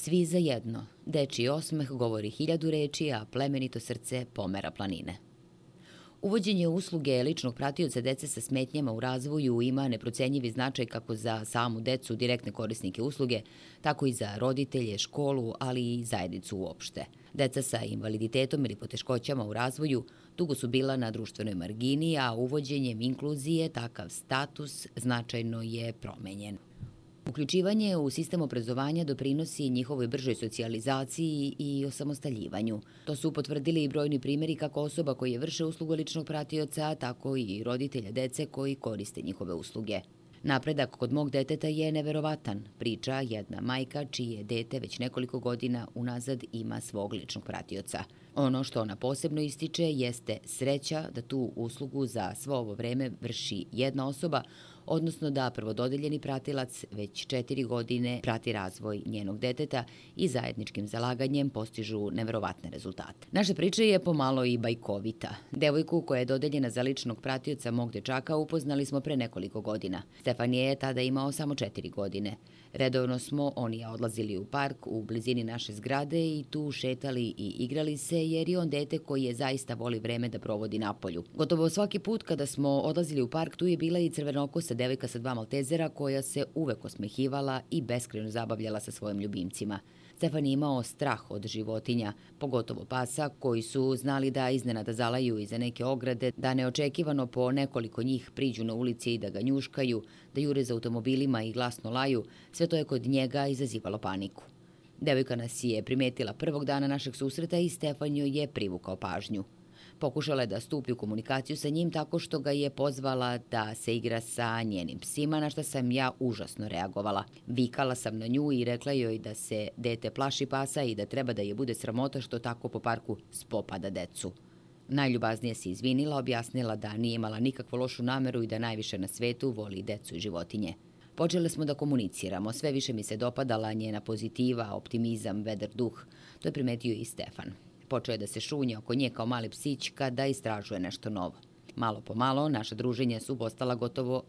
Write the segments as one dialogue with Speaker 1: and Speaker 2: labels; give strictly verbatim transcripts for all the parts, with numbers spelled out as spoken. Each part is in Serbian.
Speaker 1: Svi za jedno. Dečiji osmeh govori hiljadu reči, a plemenito srce pomera planine. Uvođenje usluge ličnog pratioca dece sa smetnjama u razvoju ima neprocenjivi značaj kako za samu decu, direktne korisnike usluge, tako i za roditelje, školu, ali i zajednicu uopšte. Deca sa invaliditetom ili poteškoćama u razvoju dugo su bila na društvenoj margini, a uvođenjem inkluzije takav status značajno je promenjen. Uključivanje u sistem obrazovanja doprinosi njihovoj bržoj socijalizaciji i osamostaljivanju. To su potvrdili i brojni primjeri kako osoba koji vrše uslugu ličnog pratioca, tako i roditelja dece koji koriste njihove usluge. Napredak kod mog deteta je neverovatan, priča jedna majka čije dete već nekoliko godina unazad ima svog ličnog pratioca. Ono što ona posebno ističe jeste sreća da tu uslugu za svo ovo vreme vrši jedna osoba, odnosno da prvododeljeni pratilac već četiri godine prati razvoj njenog deteta i zajedničkim zalaganjem postižu neverovatne rezultate. Naša priča je pomalo i bajkovita. Devojku koja je dodeljena za ličnog pratioca mog dečaka upoznali smo pre nekoliko godina. Stefan je tada imao samo četiri godine. Redovno smo on i ja odlazili u park u blizini naše zgrade i tu šetali i igrali se jer je on dete koji je zaista voli vreme da provodi napolju. Gotovo svaki put kada smo odlazili u park tu je bila i crvenokosa devojka sa dva maltezera koja se uvek osmehivala i beskrajno zabavljala sa svojim ljubimcima. Stefan je imao strah od životinja, pogotovo pasa koji su znali da iznenada zalaju iza neke ograde, da neočekivano po nekoliko njih priđu na ulici i da ga njuškaju, da jure za automobilima i glasno laju, sve to je kod njega izazivalo paniku. Devojka nas je primetila prvog dana našeg susreta i Stefan joj je privukao pažnju. Pokušala je da stupi u komunikaciju sa njim tako što ga je pozvala da se igra sa njenim psima, na što sam ja užasno reagovala. Vikala sam na nju i rekla joj da se dete plaši pasa i da treba da je bude sramota što tako po parku spopada decu. Najljubaznije se izvinila, objasnila da nije imala nikakvu lošu nameru i da najviše na svetu voli decu i životinje. Počeli smo da komuniciramo, sve više mi se dopadala njena pozitiva, optimizam, vedar duh. To je primetio i Stefan. Počeo je da se šunja oko nje kao mali psić kada istražuje nešto novo. Malo po malo naša druženja su postala gotovo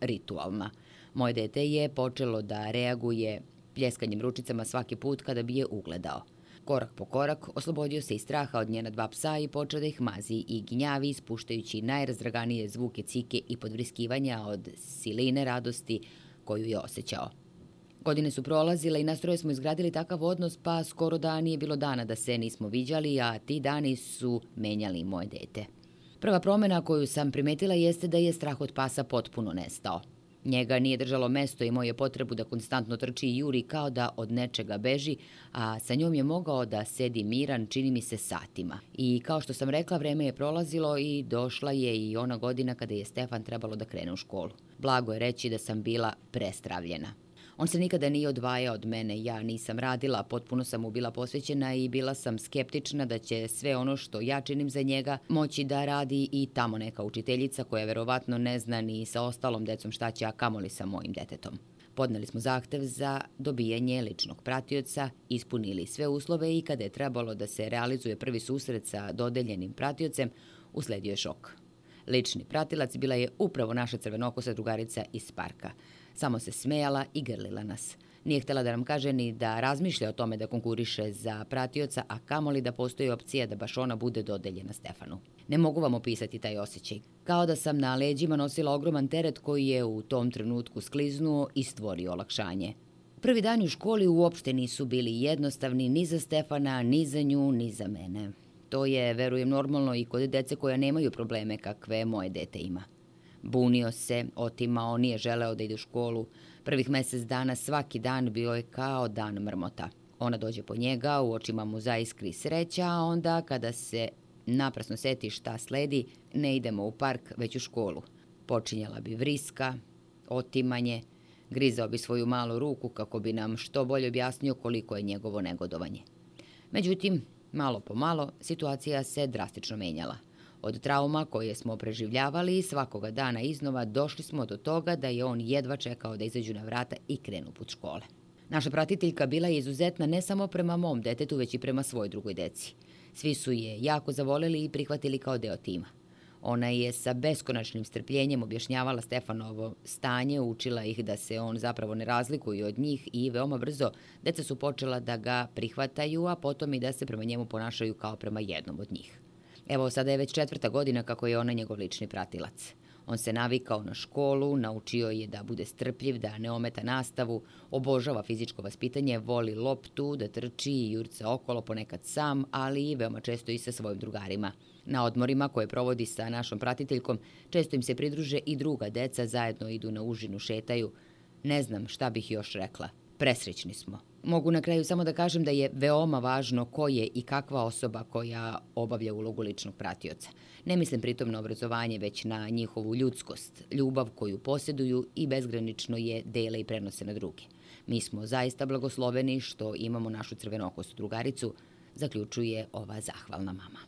Speaker 1: ritualna. Moje dete je počelo da reaguje pljeskanjem ručicama svaki put kada bi je ugledao. Korak po korak oslobodio se i straha od njena dva psa i počeo da ih mazi i ginjavi, ispuštajući najrazdraganije zvuke cike i podvriskivanja od siline radosti koju je osjećao. Godine su prolazile i nas troje smo izgradili takav odnos, pa skoro da nije bilo dana da se nismo viđali, a ti dani su menjali moje dete. Prva promjena koju sam primetila jeste da je strah od pasa potpuno nestao. Njega nije držalo mesto i imao je potrebu da konstantno trči i juri kao da od nečega beži, a sa njom je mogao da sedi miran, čini mi se, satima. I kao što sam rekla, vreme je prolazilo i došla je i ona godina kada je Stefan trebalo da krene u školu. Blago je reći da sam bila prestravljena. On se nikada nije odvajao od mene, ja nisam radila, potpuno sam mu bila posvećena i bila sam skeptična da će sve ono što ja činim za njega moći da radi i tamo neka učiteljica koja verovatno ne zna ni sa ostalom decom šta će, a kamoli sa mojim detetom. Podneli smo zahtev za dobijanje ličnog pratioca, ispunili sve uslove i kada je trebalo da se realizuje prvi susret sa dodeljenim pratiocem, usledio je šok. Lični pratilac bila je upravo naša crvenokosa drugarica iz parka. Samo se smejala i grlila nas. Nije htjela da nam kaže ni da razmišlja o tome da konkuriše za pratioca, a kamoli da postoji opcija da baš ona bude dodeljena Stefanu. Ne mogu vam opisati taj osjećaj. Kao da sam na leđima nosila ogroman teret koji je u tom trenutku skliznuo i stvorio olakšanje. Prvi dani u školi uopšte nisu bili jednostavni ni za Stefana, ni za nju, ni za mene. To je, verujem, normalno i kod dece koja nemaju probleme kakve moje dete ima. Bunio se, otimao, nije želeo da ide u školu. Prvih mjesec dana svaki dan bio je kao dan mrmota. Ona dođe po njega, u očima mu zaiskri sreća, a onda kada se naprasno seti šta sledi, ne idemo u park, već u školu. Počinjala bi vriska, otimanje, grizao bi svoju malu ruku kako bi nam što bolje objasnio koliko je njegovo negodovanje. Međutim, malo po malo, situacija se drastično menjala. Od trauma koje smo preživljavali svakoga dana iznova došli smo do toga da je on jedva čekao da izađu na vrata i krenu put škole. Naša pratiteljka bila je izuzetna ne samo prema mom detetu, već i prema svoj drugoj deci. Svi su je jako zavoleli i prihvatili kao deo tima. Ona je sa beskonačnim strpljenjem objašnjavala Stefanovo stanje, učila ih da se on zapravo ne razlikuje od njih i veoma brzo deca su počela da ga prihvataju, a potom i da se prema njemu ponašaju kao prema jednom od njih. Evo, sada je već četvrta godina kako je ona njegov lični pratilac. On se navikao na školu, naučio je da bude strpljiv, da ne ometa nastavu, obožava fizičko vaspitanje, voli loptu, da trči i jurca okolo, ponekad sam, ali i veoma često i sa svojim drugarima. Na odmorima koje provodi sa našom pratiteljkom, često im se pridruže i druga deca, zajedno idu na užinu, šetaju. Ne znam šta bih još rekla. Presrećni smo. Mogu na kraju samo da kažem da je veoma važno ko je i kakva osoba koja obavlja ulogu ličnog pratioca. Ne mislim pritom na obrazovanje, već na njihovu ljudskost, ljubav koju posjeduju i bezgranično je dele i prenose na druge. Mi smo zaista blagosloveni što imamo našu crvenokostu drugaricu, zaključuje ova zahvalna mama.